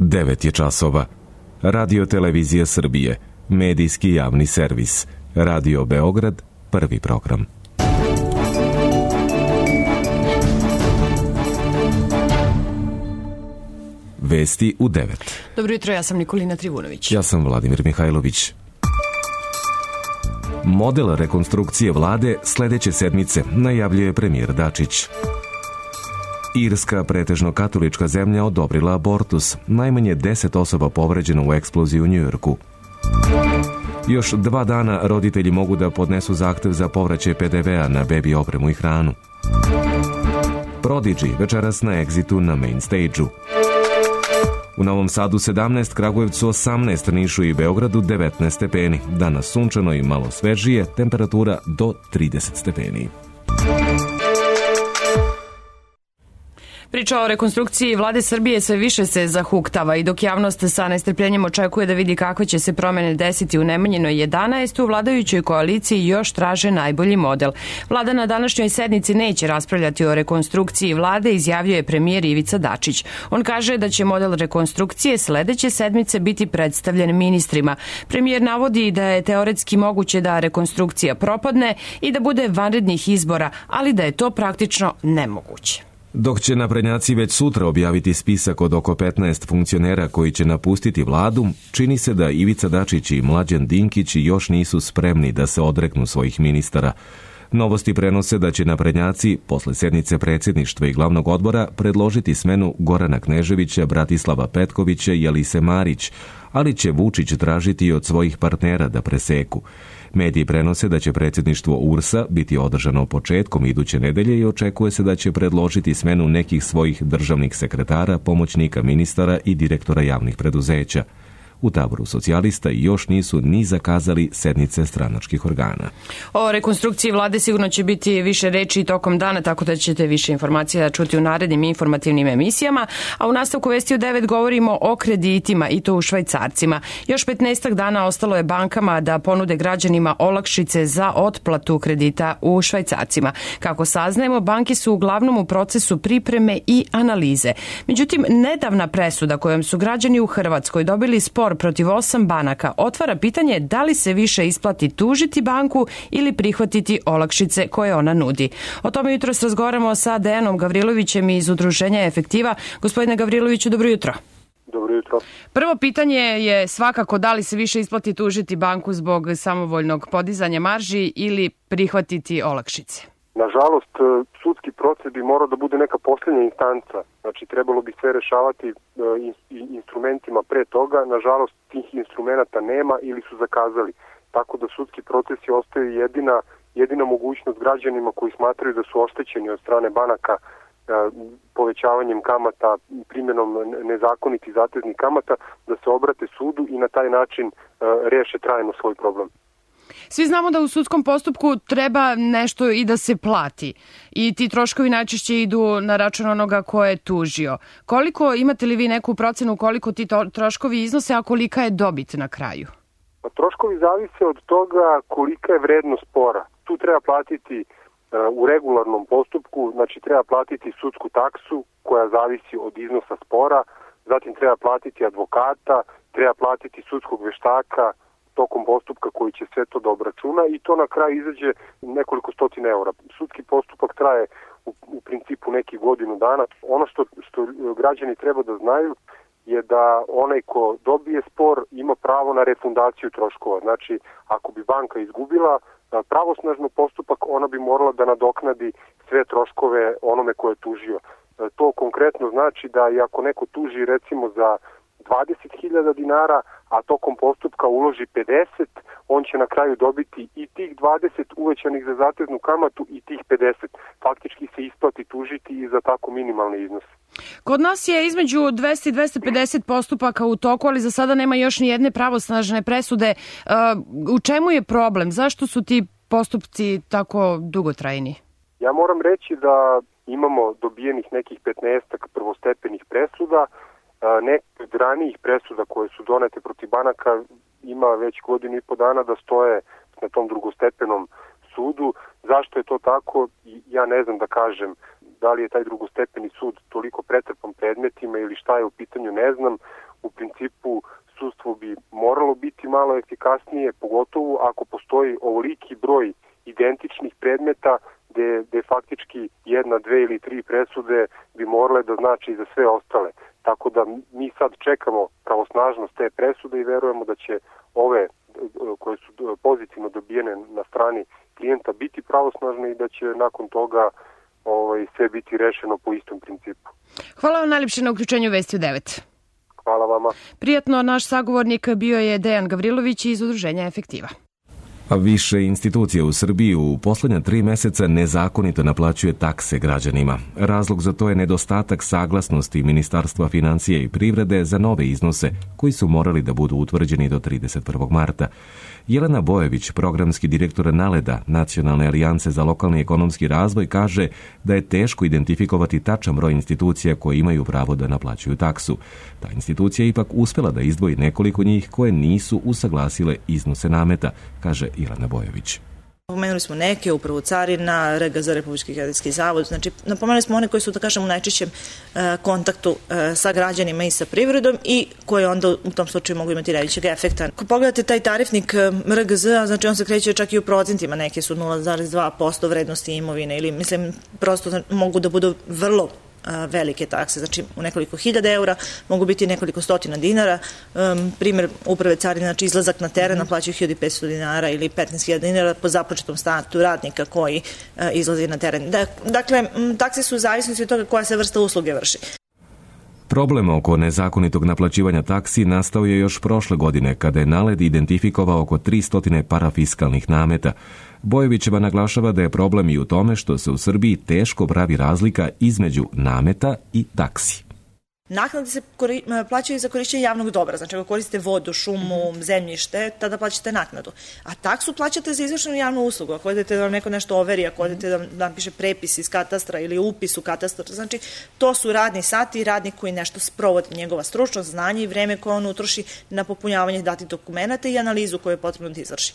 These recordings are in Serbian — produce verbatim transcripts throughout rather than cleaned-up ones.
devet je časova. Radio Televizija Srbije, medijski javni servis. Radio Beograd, prvi program. Vesti u devet. Dobro jutro, ja sam Nikolina Trivunović. Ja sam Vladimir Mihajlović. Model rekonstrukcije vlade sledeće sedmice najavljuje premijer Dačić. Irska, pretežno katolička zemlja, odobrila abortus. Najmanje deset osoba povređeno u eksploziji u Njujorku. Još dva dana roditelji mogu da podnesu zahtev za povraćaj pe de vea na bebi opremu i hranu. Prodigy večeras na Exitu na main stage-u. U Novom Sadu sedamnaest, Kragujevcu osamnaest, Nišu i Beogradu devetnaest stepeni. Danas sunčano i malo svežije, temperatura do trideset stepeni. Priča o rekonstrukciji vlade Srbije sve više se zahuktava i dok javnost sa nestrpljenjem očekuje da vidi kakve će se promene desiti u Nemanjinoj jedanaest, u vladajućoj koaliciji još traže najbolji model. Vlada na današnjoj sednici neće raspravljati o rekonstrukciji vlade, izjavljuje premijer Ivica Dačić. On kaže da će model rekonstrukcije sledeće sedmice biti predstavljen ministrima. Premijer navodi da je teoretski moguće da rekonstrukcija propadne i da bude vanrednih izbora, ali da je to praktično nemoguće. Dok će naprednjaci već sutra objaviti spisak od oko petnaest funkcionera koji će napustiti vladu, čini se da Ivica Dačić i Mlađan Dinkić još nisu spremni da se odreknu svojih ministara. Novosti prenose da će naprednjaci, posle sednice predsjedništva i glavnog odbora, predložiti smenu Gorana Kneževića, Bratislava Petkovića i Alise Marić, ali će Vučić tražiti od svojih partnera da preseku. Mediji prenose da će predsjedništvo U R S-a biti održano početkom iduće nedelje i očekuje se da će predložiti smenu nekih svojih državnih sekretara, pomoćnika ministara i direktora javnih preduzeća. U taboru socijalista još nisu ni zakazali sednice stranačkih organa. O rekonstrukciji vlade sigurno će biti više reči tokom dana, tako da ćete više informacija čuti u narednim informativnim emisijama. A u nastavku Vesti u devet govorimo o kreditima i to u švajcarcima. Još petnaestak dana ostalo je bankama da ponude građanima olakšice za otplatu kredita u švajcarcima. Kako saznajemo, banke su uglavnom u procesu pripreme i analize. Međutim, nedavna presuda kojom su građani u Hrvatskoj dobili spor protiv osam banaka otvara pitanje da li se više isplati tužiti banku ili prihvatiti olakšice koje ona nudi. O tome jutros razgovaramo sa Dejanom Gavrilovićem iz Udruženja Efektiva. Gospodine Gavriloviću, dobro jutro. Dobro jutro. Prvo pitanje je svakako da li se više isplati tužiti banku zbog samovoljnog podizanja marži ili prihvatiti olakšice. Nažalost, sudski proces bi morao da bude neka posljednja instanca. Znači, trebalo bi sve rešavati instrumentima pre toga. Nažalost, tih instrumenta nema ili su zakazali. Tako da sudski procesi ostaju jedina, jedina mogućnost građanima koji smatraju da su oštećeni od strane banaka povećavanjem kamata, primjenom nezakonitih zateznih kamata, da se obrate sudu i na taj način reše trajno svoj problem. Svi znamo da u sudskom postupku treba nešto i da se plati i ti troškovi najčešće idu na račun onoga ko je tužio. Koliko, imate li vi neku procenu koliko ti troškovi iznose, a kolika je dobit na kraju? Pa, troškovi zavise od toga kolika je vrednost spora. Tu treba platiti u regularnom postupku, znači treba platiti sudsku taksu koja zavisi od iznosa spora, zatim treba platiti advokata, treba platiti sudskog veštaka tokom postupka koji će sve to da obračuna i to na kraju izađe nekoliko stotina eura. Sudski postupak traje u, u principu neki godinu dana. Ono što, što građani treba da znaju je da onaj ko dobije spor ima pravo na refundaciju troškova. Znači, ako bi banka izgubila pravosnažno postupak, ona bi morala da nadoknadi sve troškove onome ko je tužio. To konkretno znači da i ako neko tuži recimo za dvadeset hiljada dinara, a tokom postupka uloži pedeset, on će na kraju dobiti i tih dvadeset uvećanih za zateznu kamatu i tih pedeset. Faktički se isplati tužiti i za tako minimalni iznos. Kod nas je između dvesta i dvesta pedeset postupaka u toku, ali za sada nema još ni jedne pravosnažne presude. U čemu je problem? Zašto su ti postupci tako dugotrajni? Ja moram reći da imamo dobijenih nekih petnaestak prvostepenih presuda. Neke od ranijih presuda koje su donete protiv banaka ima već godinu i po dana da stoje na tom drugostepenom sudu. Zašto je to tako? Ja ne znam da kažem. Da li je taj drugostepeni sud toliko pretrpan predmetima ili šta je u pitanju, ne znam. u principu sudstvo bi moralo biti malo efikasnije, pogotovo ako postoji ovoliki broj identičnih predmeta gde, gde faktički jedna, dve ili tri presude bi morale da znači i za sve ostale. Tako da mi sad čekamo pravosnažnost te presude i verujemo da će ove koje su pozitivno dobijene na strani klijenta biti pravosnažne i da će nakon toga ovaj, sve biti rešeno po istom principu. Hvala vam najljepše na uključenju Vesti u devet. Hvala vama. Prijatno, naš sagovornik bio je Dejan Gavrilović iz Udruženja Efektiva. A više institucija u Srbiji u poslednja tri meseca nezakonito naplaćuje takse građanima. Razlog za to je nedostatak saglasnosti Ministarstva financija i privrede za nove iznose koji su morali da budu utvrđeni do trideset prvog marta. Jelena Bojević, programski direktor NALED-a, Nacionalne alijance za lokalni ekonomski razvoj, kaže da je teško identifikovati tačan broj institucija koje imaju pravo da naplaćuju taksu. Ta institucija je ipak uspela da izdvoji nekoliko njih koje nisu usaglasile iznose nameta, kaže Jelena Bojević. Pomenuli smo neke, upravo Carina, R G Z, Republički geodetski zavod, znači napomenuli smo one koji su, da kažem, u najčešćem e, kontaktu e, sa građanima i sa privredom i koje onda u tom slučaju mogu imati najvećeg efekta. Ako pogledate taj tarifnik R G Z, znači on se kreće čak i u procentima, neke su nula zarez dva posto vrednosti imovine ili, mislim, prosto mogu da budu vrlo velike takse, znači u nekoliko hiljada eura, mogu biti nekoliko stotina dinara. Um, primjer uprave carine, znači izlazak na teren, naplaćuju hiljadu petsto dinara ili petnaest hiljada dinara po započetom startu radnika koji uh, izlazi na teren. Da, dakle, takse su u zavisnosti od toga koja se vrsta usluge vrši. Problem oko nezakonitog naplaćivanja taksi nastao je još prošle godine kada je NALED identifikovao oko tristo parafiskalnih nameta. Bojevićeva naglašava da je problem i u tome što se u Srbiji teško pravi razlika između nameta i taksi. Naknade se kori, plaćaju za korišćenje javnog dobra, znači ako koristite vodu, šumu, zemljište, tada plaćate naknadu. A taksu plaćate za izvršenu javnu uslugu. Ako odete da vam neko nešto overi, ako odete da vam napiše prepis iz katastra ili upis u katastar, znači to su radni sati i radnik koji nešto sprovodi, njegova stručnost, znanje i vreme koje on utroši na popunjavanje datih dokumenata i analizu koju je potrebno da izvrši.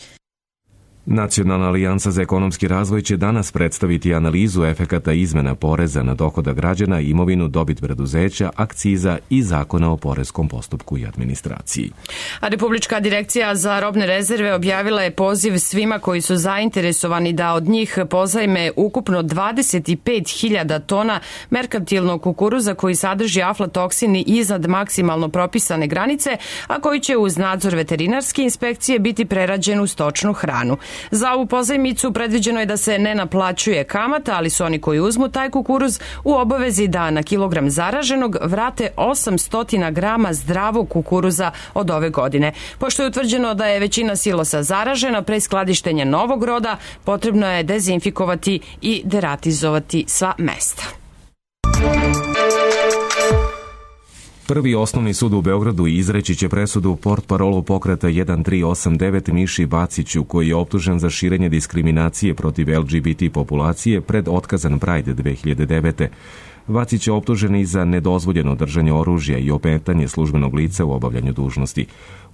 Nacionalna alijansa za ekonomski razvoj će danas predstaviti analizu efekata izmena poreza na dohodak građana, imovinu, dobit preduzeća, akciza i zakona o poreskom postupku i administraciji. A Republička direkcija za robne rezerve objavila je poziv svima koji su zainteresovani da od njih pozajme ukupno dvadeset pet hiljada tona merkantilnog kukuruza koji sadrži aflatoksini iznad maksimalno propisane granice, a koji će uz nadzor veterinarske inspekcije biti prerađen u stočnu hranu. Za ovu pozajmicu predviđeno je da se ne naplaćuje kamata, ali su oni koji uzmu taj kukuruz u obavezi da na kilogram zaraženog vrate osamsto grama zdravog kukuruza od ove godine. Pošto je utvrđeno da je većina silosa zaražena, pre skladištenja novog roda potrebno je dezinfikovati i deratizovati sva mesta. Prvi osnovni sud u Beogradu izreći će presudu portparolu pokreta jedan tri osam devet Miši Vaciću, koji je optužen za širenje diskriminacije protiv L G B T populacije pred otkazan Pride dve hiljade devete. Vacić je optužen i za nedozvoljeno držanje oružja i ometanje službenog lica u obavljanju dužnosti.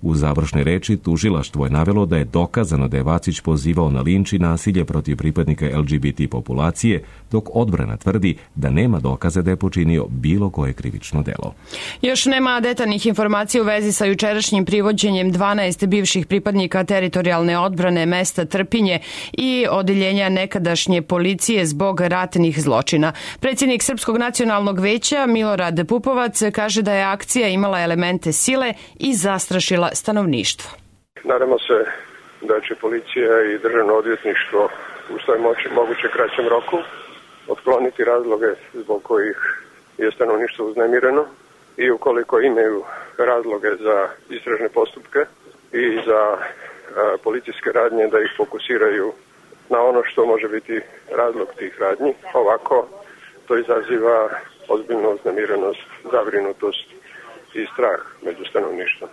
U završnoj reči tužilaštvo je navelo da je dokazano da je Vacić pozivao na linč i nasilje protiv pripadnika L G B T populacije, dok odbrana tvrdi da nema dokaza da je počinio bilo koje krivično delo. Još nema detaljnih informacija u vezi sa jučerašnjim privođenjem dvanaest bivših pripadnika teritorijalne odbrane mesta Trpinje i odeljenja nekadašnje policije zbog ratnih zločina. Predsjednik Srpskog nacionalnog veća Milorad Pupovac kaže da je akcija imala elemente sile i zastrašila stanovništvo. Nadamo se da će policija i državno odvjetništvo u svoj moći moguće kraćem roku otkloniti razloge zbog kojih je stanovništvo uznemireno i ukoliko imaju razloge za istražne postupke i za a, policijske radnje da ih fokusiraju na ono što može biti razlog tih radnji. Ovako to izaziva ozbiljnu uznemirenost, zabrinutost i strah među stanovništvom.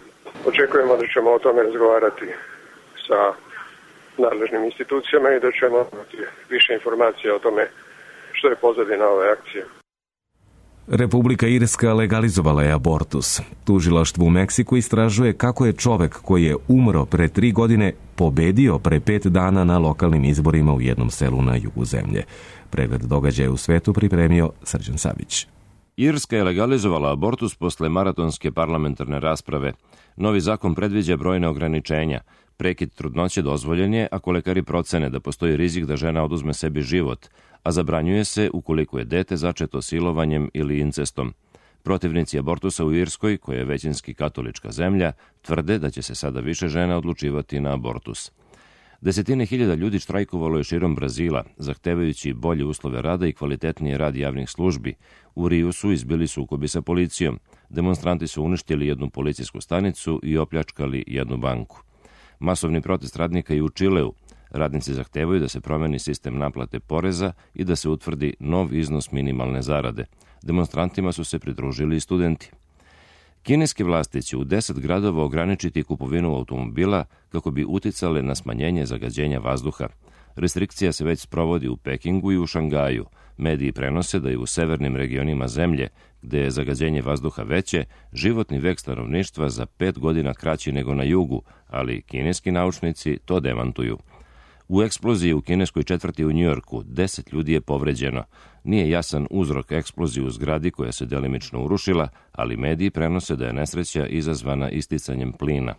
Očekujemo da ćemo o tome razgovarati sa nadležnim institucijama i da ćemo imati više informacija o tome što je pozadina ove akcije. Republika Irska legalizovala je abortus. Tužilaštvo u Meksiku istražuje kako je čovek koji je umro pre tri godine pobedio pre pet dana na lokalnim izborima u jednom selu na jugu zemlje. Pregled događaja u svetu pripremio Srđan Savić. Irska je legalizovala abortus posle maratonske parlamentarne rasprave. Novi zakon predviđa brojne ograničenja. Prekid trudnoće dozvoljen je ako lekari procene da postoji rizik da žena oduzme sebi život, a zabranjuje se ukoliko je dete začeto silovanjem ili incestom. Protivnici abortusa u Irskoj, koja je većinski katolička zemlja, tvrde da će se sada više žena odlučivati na abortus. Desetine hiljada ljudi štrajkovalo je širom Brazila, zahtevajući bolje uslove rada i kvalitetnije rad javnih službi. U Riju su izbili sukobi sa policijom. Demonstranti su uništili jednu policijsku stanicu i opljačkali jednu banku. Masovni protest radnika i u Čileu. Radnici zahtevaju da se promeni sistem naplate poreza i da se utvrdi nov iznos minimalne zarade. Demonstrantima su se pridružili i studenti. Kineske vlasti će u deset gradova ograničiti kupovinu automobila kako bi uticale na smanjenje zagađenja vazduha. Restrikcija se već sprovodi u Pekingu i u Šangaju. Mediji prenose da je u severnim regionima zemlje, gde je zagađenje vazduha veće, životni vek stanovništva za pet godina kraći nego na jugu, ali kineski naučnici to demantuju. U eksploziji u kineskoj četvrti u Njujorku deset ljudi je povređeno. Nije jasan uzrok eksplozije u zgradi koja se delimično urušila, ali mediji prenose da je nesreća izazvana isticanjem plina.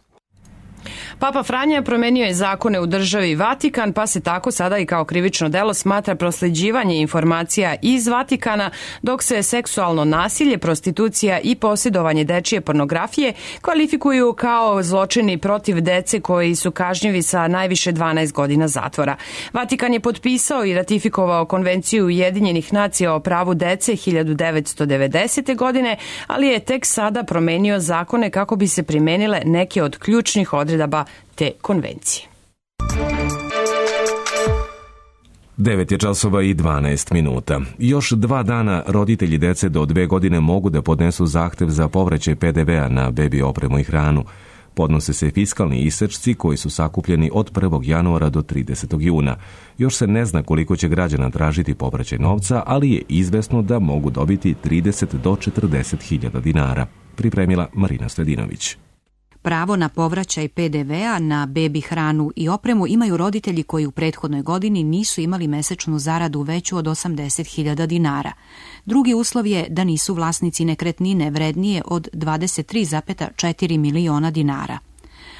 Papa Franja promenio je zakone u državi Vatikan, pa se tako sada i kao krivično delo smatra prosleđivanje informacija iz Vatikana, dok se seksualno nasilje, prostitucija i posjedovanje dečije pornografije kvalifikuju kao zločini protiv dece koji su kažnjivi sa najviše dvanaest godina zatvora. Vatikan je potpisao i ratifikovao Konvenciju Ujedinjenih nacija o pravu dece hiljadu devetsto devedesete. godine, ali je tek sada promenio zakone kako bi se primenile neke od ključnih odredaba te konvencije. devet je časova i dvanaest minuta. Još dva dana roditelji dece do dve godine mogu da podnesu zahtev za povraćaj pe de vea na bebi opremu i hranu. Podnose se fiskalni isečci koji su sakupljeni od prvog januara do tridesetog juna. Još se ne zna koliko će građana tražiti povraćaj novca, ali je izvesno da mogu dobiti trideset do četrdeset hiljada dinara. Pripremila Marina Sledinović. Pravo na povraćaj pe de vea na bebi hranu i opremu imaju roditelji koji u prethodnoj godini nisu imali mesečnu zaradu veću od osamdeset hiljada dinara. Drugi uslov je da nisu vlasnici nekretnine vrednije od dvadeset tri zarez četiri miliona dinara.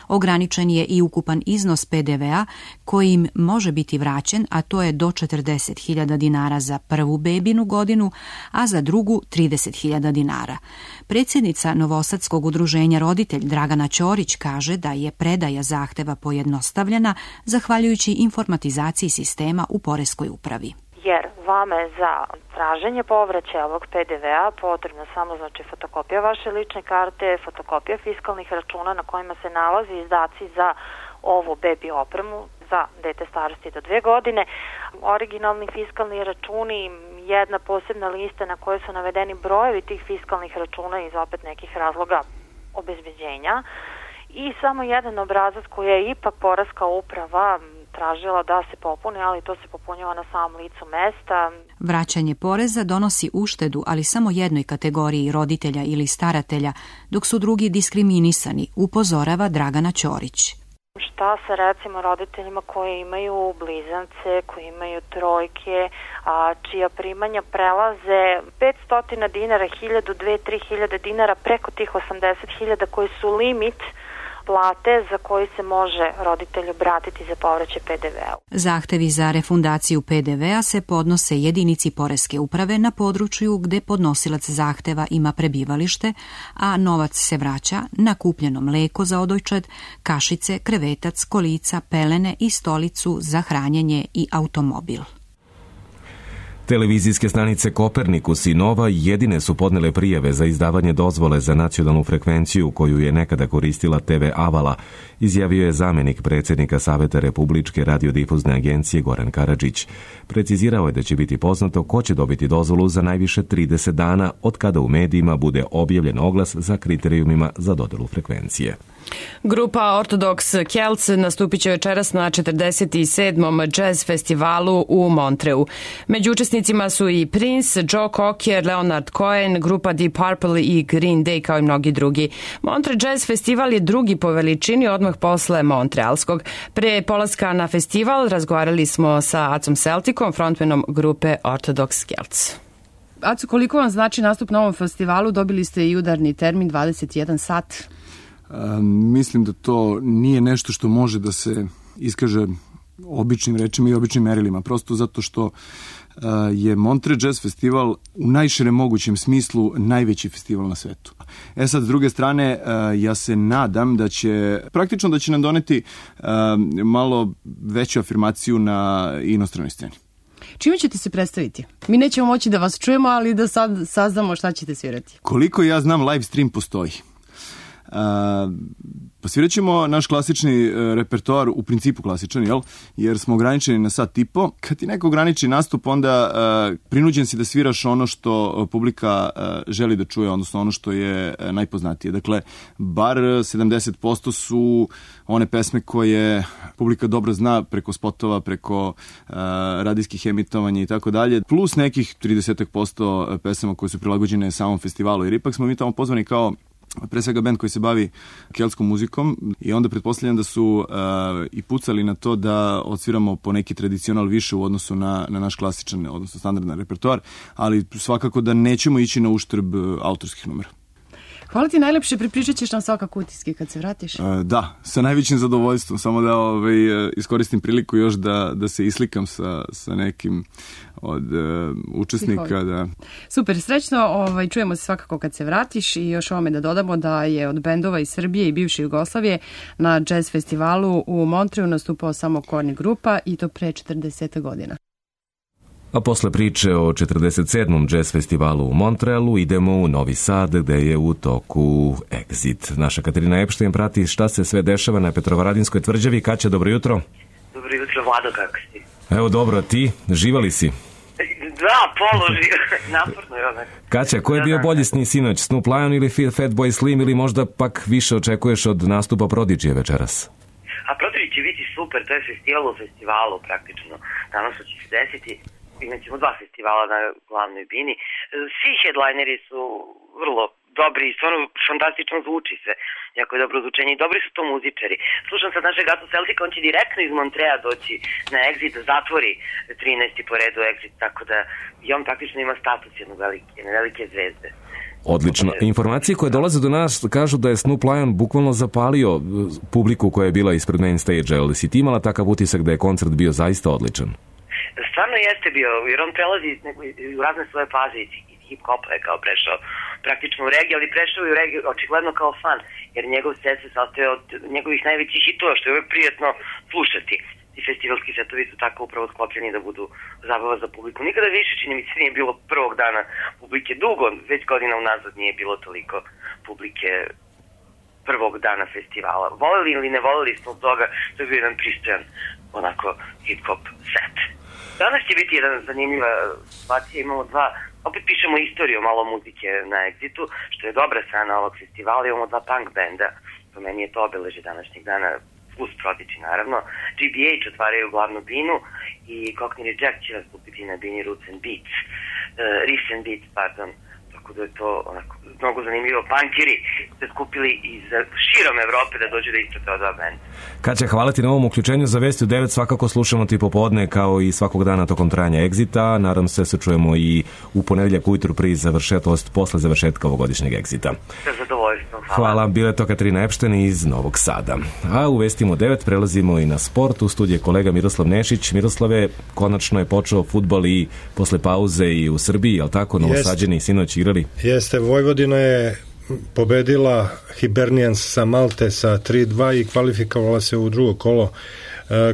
Ograničen je i ukupan iznos pe de vea koji im može biti vraćen, a to je do četrdeset hiljada dinara za prvu bebinu godinu, a za drugu trideset hiljada dinara. Predsjednica Novosadskog udruženja Roditelj Dragana Ćorić kaže da je predaja zahteva pojednostavljena zahvaljujući informatizaciji sistema u poreskoj upravi. Jer vama je za traženje povraćaja ovog pe de vea potrebna samo znači fotokopija vaše lične karte, fotokopija fiskalnih računa na kojima se nalazi izdaci za ovu bebi opremu za dete starosti do dve godine, originalni fiskalni računi, jedna posebna lista na kojoj su navedeni brojevi tih fiskalnih računa iz opet nekih razloga obezbeđenja i samo jedan obrazac koji je ipak poreska uprava tražila da se popuni, ali to se popunjava na samom licu mesta. Vraćanje poreza donosi uštedu, ali samo jednoj kategoriji roditelja ili staratelja, dok su drugi diskriminisani, upozorava Dragana Ćorić. Šta sa recimo roditeljima koji imaju blizance, koji imaju trojke, a čija primanja prelaze petsto dinara, hiljadu, dve, tri hiljade dinara preko tih osamdeset hiljada koji su limit plate za koji se može roditelj obratiti za povraćaj pe de vea. Zahtevi za refundaciju pe de vea se podnose jedinici poreske uprave na području gde podnosilac zahteva ima prebivalište, a novac se vraća na kupljeno mleko za odojčad, kašice, krevetac, kolica, pelene i stolicu za hranjenje i automobil. Televizijske stanice Kopernikus i Nova jedine su podnele prijave za izdavanje dozvole za nacionalnu frekvenciju koju je nekada koristila te ve Avala, izjavio je zamjenik predsjednika Saveta Republičke radiodifuzne agencije Goran Karadžić. Precizirao je da će biti poznato ko će dobiti dozvolu za najviše trideset dana od kada u medijima bude objavljen oglas za kriterijumima za dodelu frekvencije. Grupa Orthodox Celts nastupit će večeras na četrdeset sedmom Jazz festivalu u Montreu. Među učesnicima su i Prince, Joe Cocker, Leonard Cohen, grupa Deep Purple i Green Day kao i mnogi drugi. Montre Jazz festival je drugi po veličini odmah posle Montrealskog. Pre polaska na festival razgovarali smo sa Acom Celticom, frontmanom grupe Orthodox Celts. Aco, koliko vam znači nastup na ovom festivalu? Dobili ste i udarni termin dvadeset jedan sat. A, mislim da to nije nešto što može da se iskaže običnim rečima i običnim merilima, prosto zato što je Montreux Jazz Festival u najširem mogućem smislu najveći festival na svetu. E sad, s druge strane, ja se nadam da će, praktično da će nam doneti malo veću afirmaciju na inostranoj sceni. Čime ćete se predstaviti? Mi nećemo moći da vas čujemo, ali da sad saznamo šta ćete svirati. Koliko ja znam, live stream postoji. Uh, pa svirat ćemo naš klasični uh, repertoar, u principu klasičan, jel? Jer smo ograničeni na sat i po. Kad ti neko ograniči nastup, onda uh, prinuđen si da sviraš ono što publika uh, želi da čuje, odnosno ono što je uh, najpoznatije. Dakle, bar sedamdeset posto su one pesme koje publika dobro zna preko spotova, preko uh, radijskih emitovanja i tako dalje, plus nekih trideset posto pesama koje su prilagođene samom festivalu. Jer ipak smo mi tamo pozvani kao pre svega bend koji se bavi keltskom muzikom i onda pretpostavljam da su uh, i pucali na to da odsviramo po neki tradicional više u odnosu na, na naš klasičan, odnosno standardan repertoar, ali svakako da nećemo ići na uštrb uh, autorskih numera. Hvala ti najlepše, pripričat ćeš nam svakako utiske kad se vratiš. Uh, da, sa najvećim zadovoljstvom, samo da ovaj, uh, iskoristim priliku još da, da se islikam sa, sa nekim od uh, učesnika. Da. Super, srećno, ovaj, čujemo se svakako kad se vratiš i još ovome da dodamo da je od bendova iz Srbije i bivše Jugoslavije na jazz festivalu u Montreuxu nastupao samo Korni grupa i to pre četrdeset godina. A posle priče o četrdeset sedmom jazz festivalu u Montrealu idemo u Novi Sad gde je u toku Exit. Naša Katarina Epštajn prati šta se sve dešava na Petrovaradinskoj tvrđavi. Kaća, dobro jutro. Dobro jutro, Vlado, kako si? Evo dobro, ti? Živali si? Da, položi, naporno je ono. Kaća, ko je bio bolji sni sinoć? Snoop Lion ili Fatboy Slim ili možda pak više očekuješ od nastupa Prodigy večeras? A Prodigy će biti super, to je festival u festivalu praktično. Danas će se desiti. Imat ćemo dva festivala na glavnoj bini. Svi headlineri su vrlo dobri i stvarno fantastično zvuči se. Jako je dobro zvučenje i dobri su to muzičari. Slušam sad našeg Gato Celtica, on će direktno iz Montreja doći na Exit, da zatvori trinaesti po redu Exit, tako da i on praktično ima status jedne velike, jedne velike zvezde. Odlično. Informacije koje dolaze do nas kažu da je Snoop Lion bukvalno zapalio publiku koja je bila ispred main stage-a. Ali si ti imala takav utisak da je koncert bio zaista odličan? Stvarno jeste bio, jer on prelazi u razne svoje faze iz hip-hopa je kao prešao praktično u regiju, ali prešao i u regiju očigledno kao fan, jer njegov set se sastoje od njegovih najvećih hitova, što je uvek prijetno slušati. Ti festivalski setovi su tako upravo sklopljeni da budu zabava za publiku. Nikada više, čini mi se, nije bilo prvog dana publike. Dugo, već godina unazad nije bilo toliko publike prvog dana festivala. Voleli ili ne voleli smo toga, to je bio jedan pristojan onako hip-hop set. Danas će biti jedan zanimljiva situacija, imamo dva, opet pišemo istoriju malo muzike na Exitu, što je dobra strana ovog festivala, imamo dva punk benda, po meni je to obeležje današnjeg dana, plus Prodigy naravno, G B H otvaraju glavnu binu i Cockney Reject će nastupiti na bini Roots and Beats, uh, Riffs and Beats, pardon, tako da je to onako mnogo zanimljivo. Punkiri se skupili iz širom Evrope da dođu da isprate od dva benda. Kaća, hvala ti na ovom uključenju za Vesti u devet. Svakako slušamo ti popodne kao i svakog dana tokom trajanja Exita. Nadam se se čujemo i u ponedeljak ujutru pri završetost posle završetka ovogodišnjeg Exita. Sa zadovoljstvom, hvala. Hvala, bila je to Katarina Epštajn iz Novog Sada. A u Vestima u devet prelazimo i na sport. U studiju je kolega Miroslav Nešić. Miroslave, konačno je počeo fudbal i posle pauze i u Srbiji, jel tako? Novosađeni sinoć igrali? Jeste, Vojvodina je pobedila Hibernians sa Malte sa tri dva i kvalifikovala se u drugo kolo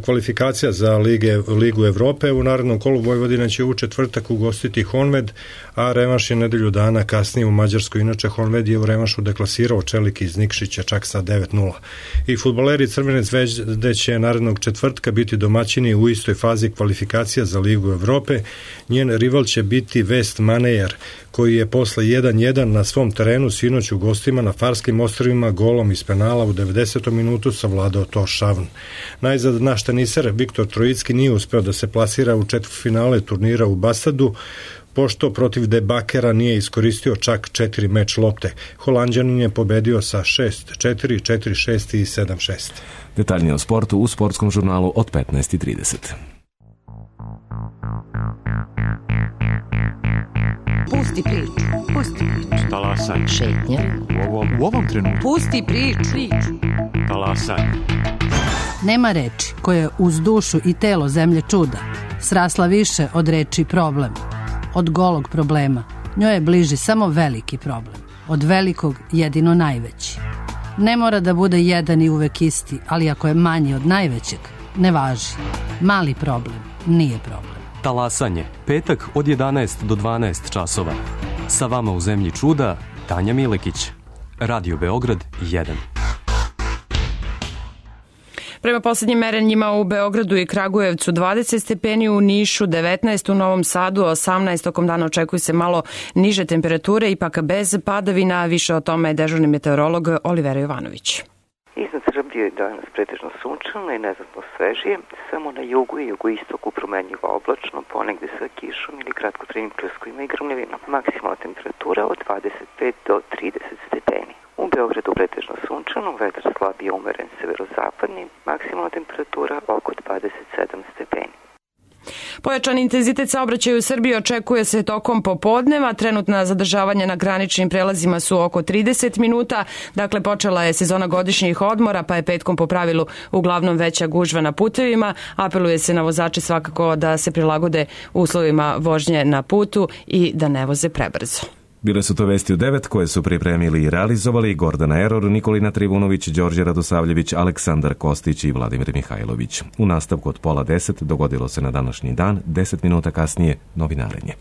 kvalifikacija za Lige, Ligu Evrope. U narednom kolu Vojvodina će u četvrtak ugostiti Honved, a revanš je nedelju dana kasnije u Mađarskoj. Inače, Honved je u revanšu deklasirao Čelik iz Nikšića čak sa devet nula. I fudbaleri Crvene zvezde će narednog četvrtka biti domaćini u istoj fazi kvalifikacija za Ligu Evrope. Njen rival će biti West Manejer, koji je posle jedan jedan na svom terenu sinoć u gostima na Farskim ostrvima golom iz penala u devedesetom minutu savladao to Šavn. Najzad naš teniser Viktor Trojicki nije uspeo da se plasira u četvrtfinale turnira u Basadu, pošto protiv Debakera nije iskoristio čak četiri meč lopte. Holanđanin je pobedio sa šest četiri, četiri šest i sedam šest. Detaljnije o sportu u sportskom žurnalu od petnaest i trideset. Pusti priču. Pusti priču. Talasaj. Šetnja. U ovom, u ovom trenutku. Pusti priču. Talasaj. Nema reči koje uz dušu i telo zemlje čuda srasla više od reči problem. Od golog problema njoj je bliži samo veliki problem. Od velikog jedino najveći. Ne mora da bude jedan i uvek isti, ali ako je manji od najvećeg, ne važi. Mali problem nije problem. Talasanje, petak od jedanaest do dvanaest časova. Sa vama u zemlji čuda, Tanja Milekić. Radio Beograd jedan. Prema poslednjim merenjima u Beogradu i Kragujevcu dvadeset stepeni, u Nišu devetnaest, u Novom Sadu osamnaest, tokom dana očekuju se malo niže temperature, ipak bez padavina. Više o tome je dežurni meteorolog Olivera Jovanović. Iznad Srbije je danas pretežno sunčano i neznatno svežije, samo na jugu i jugoistoku promenljivo oblačno, ponegde sa kišom ili kratkotrajnim prskovima i grmljavinom. Maksimalna temperatura od dvadeset pet do trideset stepeni. U Beogradu pretežno sunčano, vetar slabije umeren severozapadni, maksimalna temperatura oko dvadeset sedam stepeni. Pojačan intenzitet saobraćaja u Srbiji očekuje se tokom popodneva. Trenutna zadržavanja na graničnim prelazima su oko trideset minuta. Dakle, počela je sezona godišnjih odmora, pa je petkom po pravilu uglavnom veća gužva na putevima. Apeluje se na vozače svakako da se prilagode uslovima vožnje na putu i da ne voze prebrzo. Bile su to vesti u devet koje su pripremili i realizovali Gordana Eror, Nikolina Trivunović, Đorđe Radosavljević, Aleksandar Kostić i Vladimir Mihajlović. U nastavku od pola deset dogodilo se na današnji dan, deset minuta kasnije novinarenje.